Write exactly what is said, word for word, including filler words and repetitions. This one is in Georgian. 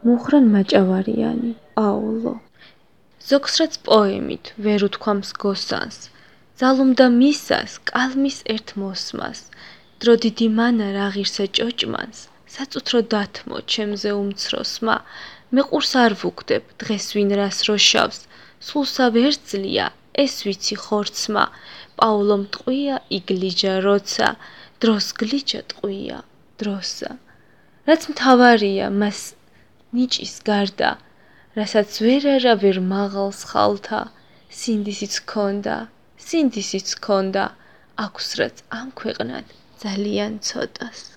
მუხრან მაჭავარიანი, პაულო. ზოგს რაც პოემით ვერ უთქვამს გოსანს, ძალუმდა მისას კალმის ერთ მოსმას, დრო დიდი მანა რა ღირსა ჭოჭმანს, საწუთრო დათმო ჩემზე უმცროსმა, მე ყურს არ ვუგდებ დღეს ვინ რას როშავს, სულსა ვერ ძლია ეს ვიცი ხორცმა, პაულომ ტყვია იგლიჯა როცა, დროს გლიჯა ტყვია დროსა. რაც მთავარია მას ნიჭის გარდა, რასაც ვერ არა ვერ მაღალს ხალთა, სინდისიც ქონდა, სინდისიც ქონდა, აქვს რაც ამ ქვეყნად ძალიან ცოტას.